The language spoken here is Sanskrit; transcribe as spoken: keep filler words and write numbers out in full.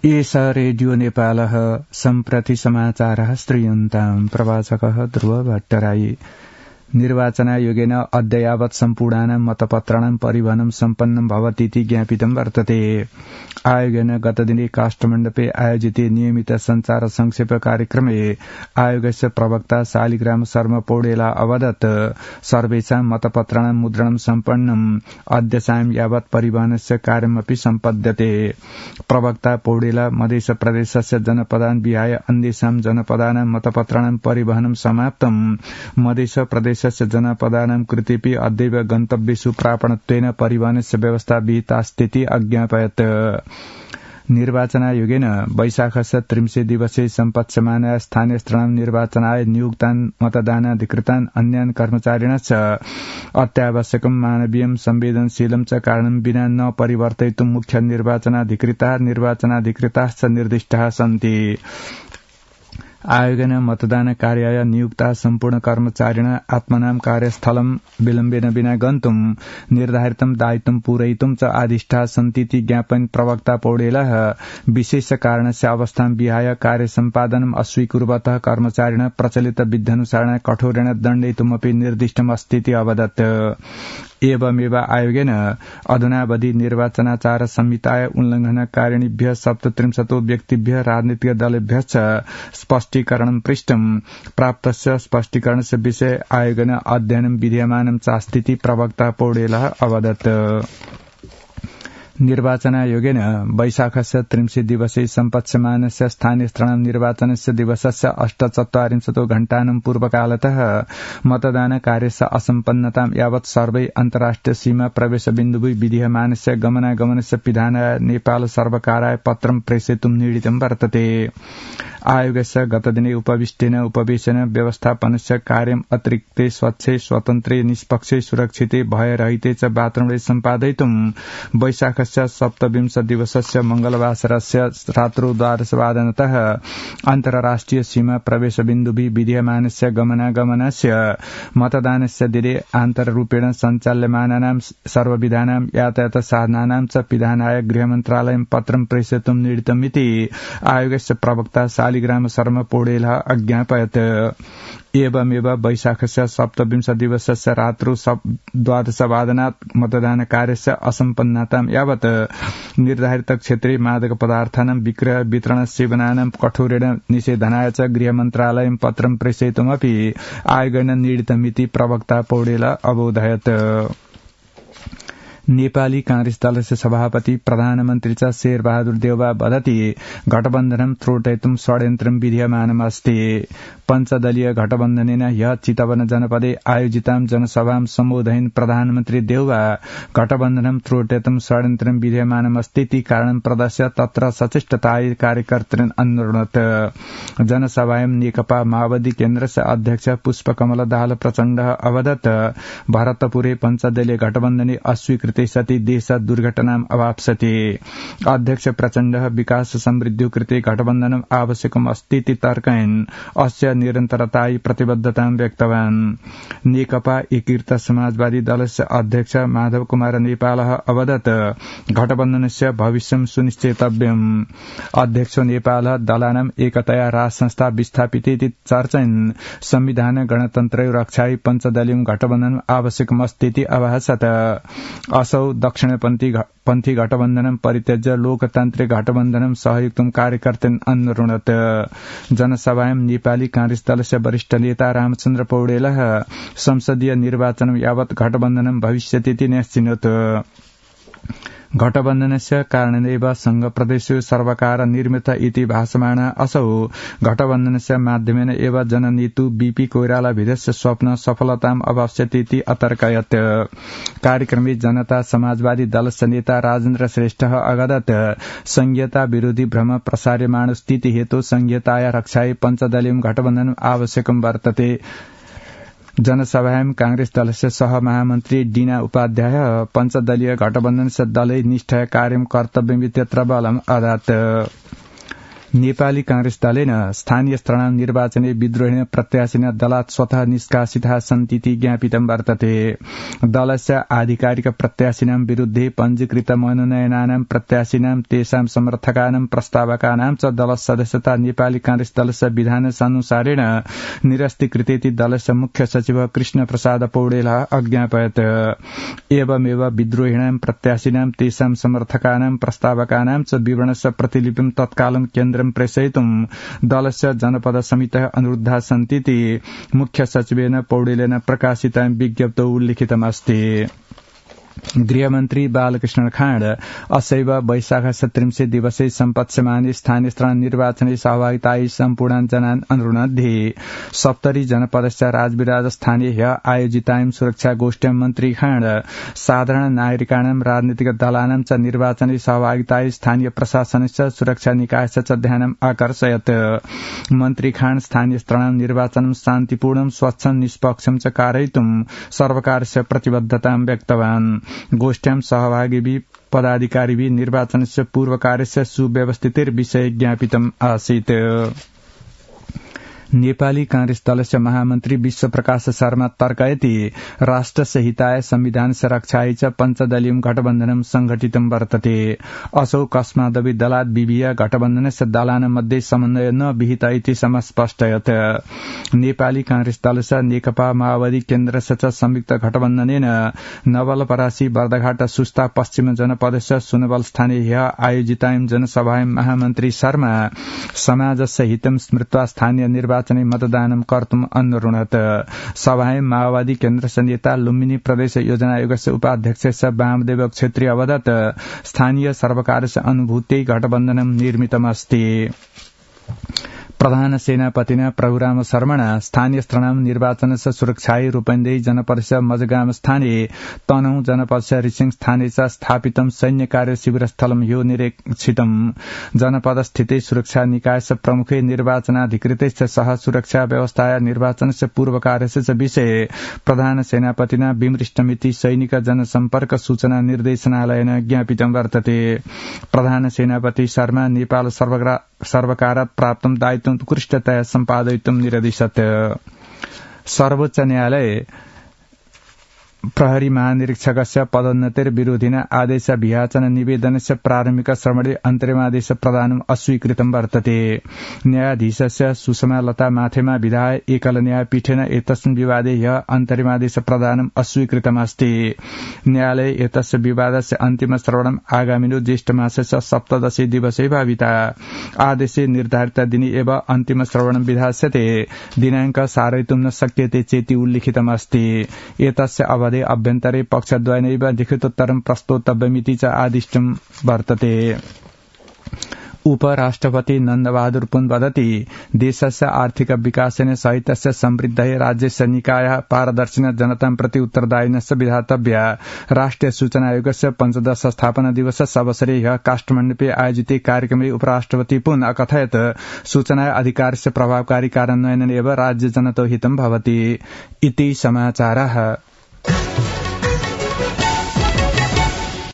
एष रेडियो नेपालः सम्प्रति समाचारः श्रूयन्ताम् प्रवाचकः ध्रुव भट्टराई। निर्वाचनायोगेन अद्य यावत् सम्पूर्णानां मतपत्राणां परिवहनं सम्पन्नं भवतीति ज्ञापितं वर्तते। आयोगेन गतदिने काष्ठमण्डपे आयोजिते नियमित संचार संक्षेप कार्यक्रमे आयोगस्य प्रवक्ता शालिग्राम शर्मा पौडेला अवदत् सर्वेषां मतपत्राणां मुद्रणं सम्पन्नम् अद्य सायं यावत् परिवहनस्य कार्यमपि सम्पद्यते। प्रवक्ता पौडेला मध्य प्रदेशस्य जनपदान् विहाय अन्येषां जनपदानां मतपत्राणां परिवहनं समाप्तम् मध्य प्रदेशस्य जनपदानां कृतेऽपि अद्यैव गन्तव्येषु प्रापणत्वेन परिवहनस्य व्यवस्था विहितास्तीति अज्ञापयत्। निर्वाचनायोगेन वैशाखस्य त्रिंशे दिवसे सम्पत्स्यमानाय स्थानीय स्तराणां निर्वाचनाय नियुक्तान् मतदानाधिकृतान् अन्यान् कर्मचारिणश्च अत्यावश्यकं मानवीयं संवेदनशीलं च कारणं विना न परिवर्तयितुं मुख्य निर्वाचनाधिकृता निर्वाचनाधिकृताश्च निर्दिष्टाः सन्ति। आयोगेन मतदान कार्याय नियुक्ता सम्पूर्ण कर्मचारिण आत्मनां कार्यस्थलं विलम्बेन विना गन्तुं निर्धारितं दायित्वं पूरयितुं च आदिष्टाः सन्तीति ज्ञापयन् प्रवक्ता पौडेलः विशेष कारणस्य अवस्थां विहाय कार्य सम्पादनम् अस्वीकुर्वतः कर्मचारिण प्रचलित विध्यनुसारेण कठोरेण दण्डयितुमपि निर्दिष्टम् अस्तीति अवदत्। एवमेव आयोगेन अधुनावधि निर्वाचनाचार संहिताय उल्लंघनकारिणीभ्यः सप्तत्रिंशतो व्यक्तिभ्यः राजनीतिक दलेभ्यश्च स्पष्टीकरणं पृष्टम्। प्राप्तस्य स्पष्टीकरणस्य विषये आयोगेन अध्ययनं विधीयमानं चास्तीति प्रवक्ता पौडेलः अवदत्। निर्वाचनायोगेन वैशाखस्य त्रिंशे दिवसे सम्पत्स्यमानस्य स्थानीय स्तराणां निर्वाचनस्य दिवसस्य अष्टचत्वारिंशतो घण्टानां पूर्वकालतः मतदान कार्यस्य असम्पन्नतां यावत् सर्वै अन्तर्राष्ट्रिय सीमा प्रवेश बिन्दुभि विधीयमानस्य गमनागमनस्य पिधानाय नेपाल सर्वकाराय पत्रं प्रेषयितुं निर्णीतं वर्तते। आयोगस्य गतदिने उपविष्टेन उपवेशन व्यवस्थापनस्य कार्यम् अतिरिक्ते स्वच्छे स्वतन्त्रे निष्पक्षे सुरक्षिते भयरहिते च वातावरणे सम्पादयितुं वैशाखस्य सप्तविंश दिवसस्य मंगलवासरस्य रात्रौ द्वादशवादनतः अन्तर्राष्ट्रिय सीमा प्रवेश बिन्दुभि विधीयमानस्य गमनागमनस्य मतदानस्य दिने आन्तररूपेण सञ्चाल्यमानानां सर्वविधानां यातायात साधनानां च पिधानाय गृहमन्त्रालयं पत्रं प्रेषयितुं निर्णीतमिति आयोगस्य प्रवक्ता शालिग्राम शर्मा पौडेलः अज्ञापयत्। एवमेव वैशाखस्य सप्तविंश दिवसस्य रात्रौ द्वादशवादनात् मतदान कार्यस्य असम्पन्नतां यावत् निर्धारित क्षेत्रे मादक पदार्थानां विक्रय वितरण सेवनानां कठोरेण निषेधनाय च गृहमन्त्रालयं पत्रं प्रेषयितुमपि आयोगेन निर्णीतमिति प्रवक्ता पौडेलः अबोधयत्। नेपाली कांग्रेस दलस्य सभापति प्रधानमन्त्री च शेरबहादुर देउवा वदति गठबन्धनं त्रोटयितुं षड्यन्त्रं विधीयमानमस्ति। पञ्चदलीय गठबन्धनेन ह्यः चितवन जनपदे आयोजितां जनसभां सम्बोधयन् प्रधानमन्त्री देउवा गठबन्धनं त्रोटयितुं षड्यन्त्रं विधीयमानमस्तीति कारणं प्रदर्श्य तत्र सचेष्टतायै कार्यकर्तॄन् अनुरुणत्। जनसभायां नेकपा माओवादी केन्द्रस्य अध्यक्ष पुष्पकमल दाहाल प्रचण्डः अवदत् भरतपुरे पञ्चदलीय गठबन्धने अस्वीकृत सति देश दुर्घटनाम् अवाप्स्यति। अध्यक्ष प्रचण्डः विकास समृद्धिं कृते गठबन्धनम् आवश्यकम् अस्तीति तर्कयन् अस्य निरन्तरतायै प्रतिबद्धतां व्यक्तवान्। नेकपा एकीकृत समाजवादी दलस्य अध्यक्ष माधव कुमार नेपालः अवदत् गठबन्धनस्य भविष्यं सुनिश्चेतव्यम्। अध्यक्ष नेपालः दलानाम् एकतया राजसंस्था विस्थापितेति चर्चयन् संविधान गणतन्त्र रक्षायै पञ्चदलीय गठबन्धनम् आवश्यकमस्तीति अभाषत। असौ दक्षिणपन्थी पंथी गठबन्धनं परित्यज्य लोकतान्त्रिक गठबन्धनं सहयुक्तं कार्यकर्तॄन् अनुरुणत्। जनसभायां नेपाली कांग्रेस दलस्य वरिष्ठ नेता रामचन्द्र पौडेलः संसदीय निर्वाचनं यावत् गठबन्धनं भविष्यतीति न्यस्चिनोत्। गठबन्धनस्य कारणेनैव संघ प्रदेशेषु सर्वकार निर्मित इति भाषमाण असौ गठबन्धनस्य माध्यमेन एव जननेतु बीपी कोइरालाभिदस्य स्वप्न सफलताम् अवाप्स्यतीति अतर्कयत्। कार्यक्रमे जनता समाजवादी दलस्य नेता राजेन्द्र श्रेष्ठः अगदत् संघीयता विरोधी भ्रम प्रसार्यमाण स्थिति हेतु संघीयताया रक्षायै पञ्चदलीय गठबन्धनम् आवश्यकं वर्तते। जनसभायां कांग्रेस दलस्य सह महामन्त्री डीना उपाध्याय पञ्चदलीय गठबन्धनस्य दलै निष्ठया कार्यं कर्तव्यमित्यत्र बलम् अदत्। नेपाली कांग्रेस दलेन स्थानीय स्तराणां निर्वाचने विद्रोहिण प्रत्याशिनः दलात् स्वतः निष्कासिताः सन्तीति ज्ञापितं वर्तते। दलस्य आधिकारिक प्रत्याशिनां विरुद्धे पञ्जीकृत मनोनयनानां प्रत्याशिनां तेषां समर्थकानां प्रस्तावकानां च दलस्य सदस्यता नेपाली कांग्रेस दलस्य विधानानुसारेण निरस्तीकृतेति दलस्य मुख्य सचिव कृष्ण प्रसाद पौडेलः अज्ञापयत्। एवमेव विद्रोहिणां प्रत्याशिनां तेषां समर्थकानां प्रस्तावकानां च विवरणस्य प्रतिलिपिं तत्कालं केन्द्रं प्रेषयितुं दलस्य जनपद समितः अनुरुद्धाः सन्तीति मुख्य सचिवेन पौडेलेन प्रकाशितां विज्ञप्तौ उल्लिखितमस्ति। गृहमन्त्री बालकृष्ण खाँड असैव वैशाख सत्रिंशे दिवसे सम्पत्स्यमाने स्थानीय स्तराणां निर्वाचने सहभागितायै सम्पूर्णान् जनान् अनुरुणद्धि सप्तरी जनपदस्य राजविराज स्थानीय ह्य आयोजितायां सुरक्षा गोष्ठ्यां मन्त्री खाँड साधारण नागरिकाणां राजनीतिक दलानां च निर्वाचने सहभागितायै स्थानीय प्रशासनस्य सुरक्षा निकायस्य च ध्यानम् आकर्षयत्। मन्त्री खाँड स्थानीय स्तराणां निर्वाचनं शान्तिपूर्णं स्वच्छं निष्पक्षं च कारयितुं सर्वकारस्य प्रतिबद्धतां व्यक्तवान्। गोष्ठ्यां सहभागिभिः पदाधिकारिभिः निर्वाचनस्य पूर्वकार्यस्य सुव्यवस्थितेर्विषये ज्ञापितम् आसीत्। नेपाली कांग्रेस दलस्य महामन्त्री विश्वप्रकाश शर्मा तर्कयति राष्ट्रस्य हिताय संविधानस्य रक्षायै च पञ्चदलीयं गठबन्धनं संघटितं वर्तते। असौ कस्मादपि दलात् विभिय गठबन्धनस्य दलानां मध्ये समन्वय न विहित इति समस्पष्टयत्। नेपाली कांग्रेस दलस्य नेकपा माओवादी केन्द्रस्य च संयुक्त गठबन्धनेन नवलपरासी बर्दघाट सुस्ता पश्चिम जनपदस्य सुनवल स्थाने ह्य आयोजितायां जनसभायां महामन्त्री शर्मा समाजस्य हितं स्मृत्वा स्थानीय निर्वाचन मतदानं कर्तुम् अनुरुणत्। सभायां माओवादी केन्द्रस्य नेता लुम्बिनी प्रदेश योजना आयोगस्य उपाध्यक्ष वामदेव क्षेत्रीय अवदत् स्थानीय सर्वकारस्य अनुभूत्यै गठबन्धनं निर्मितमस्ति। प्रधान सेनापतिना प्रभुराम शर्मणा स्थानीय स्तराणां निर्वाचनस्य सुरक्षायै रूपन्देही जनपदस्य मजगाम स्थाने तनहु जनपदस्य रिसिङ स्थाने च स्थापितं सैन्य कार्य शिविरस्थलं यो निरीक्षितम्। जनपदस्थिते सुरक्षा निकायस्य प्रमुखे निर्वाचनाधिकृतैश्च सह सुरक्षा व्यवस्थाया निर्वाचनस्य पूर्वकार्यस्य च विषये प्रधान सेनापतिना विमृष्टमिति सैनिक जनसम्पर्क सूचना निर्देशनालयेन ज्ञापितं वर्तते। प्रधान सेनापति शर्मा नेपाल सर्वकारात् प्राप्तं दायित्वं उत्कृष्टतया सम्पादयितुं निरदिशत्। सर्वोच्च न्यायालय प्रहरी महानिरीक्षकस्य पदोन्नतिर्विरोधिना आदेश वियाचन निवेदनस्य प्रारम्भिक श्रवणे अन्तरिमादेश प्रदानम् अस्वीकृतं वर्तते। न्यायाधीशस्य सुषमा लता माथेमा विधाय एकल न्यायपीठेन एतस्मिन् विवादे ह्यः अन्तरिमादेश प्रदानम् अस्वीकृतमस्ति। न्यायालये एतस्य विवादस्य अन्तिम श्रवणम् आगामिनो ज्येष्ठ मासस्य सप्तदशे दिवसे भाविता। आदेशे निर्धारित दिने एव अन्तिम श्रवणं विधास्यते। दिनाङ्क सारयितुं न शक्यते चेति उल्लिखितमस्ति। एतस्य अवधे अभ्यन्तरे पक्षद्वयेनैव लिखितोत्तरं प्रस्तोतव्यमिति च आदिष्टं वर्तते। उपराष्ट्रपति नन्दबहादुर पुन वदति देशस्य आर्थिक विकासेन सहितस्य समृद्धये राज्यस्य निकायः पारदर्शिना जनतां प्रति उत्तरदायिनश्च विधातव्या। राष्ट्रिय सूचना आयोगस्य पञ्चदश स्थापना दिवसस्य अवसरे ह्यः काठमाडौँे आयोजिते कार्यक्रमे उपराष्ट्रपति पुन अकथयत् सूचना अधिकारस्य प्रभावकारी कार्यान्वयनेन एव राज्य जनतो हितं भवति इति समाचारः।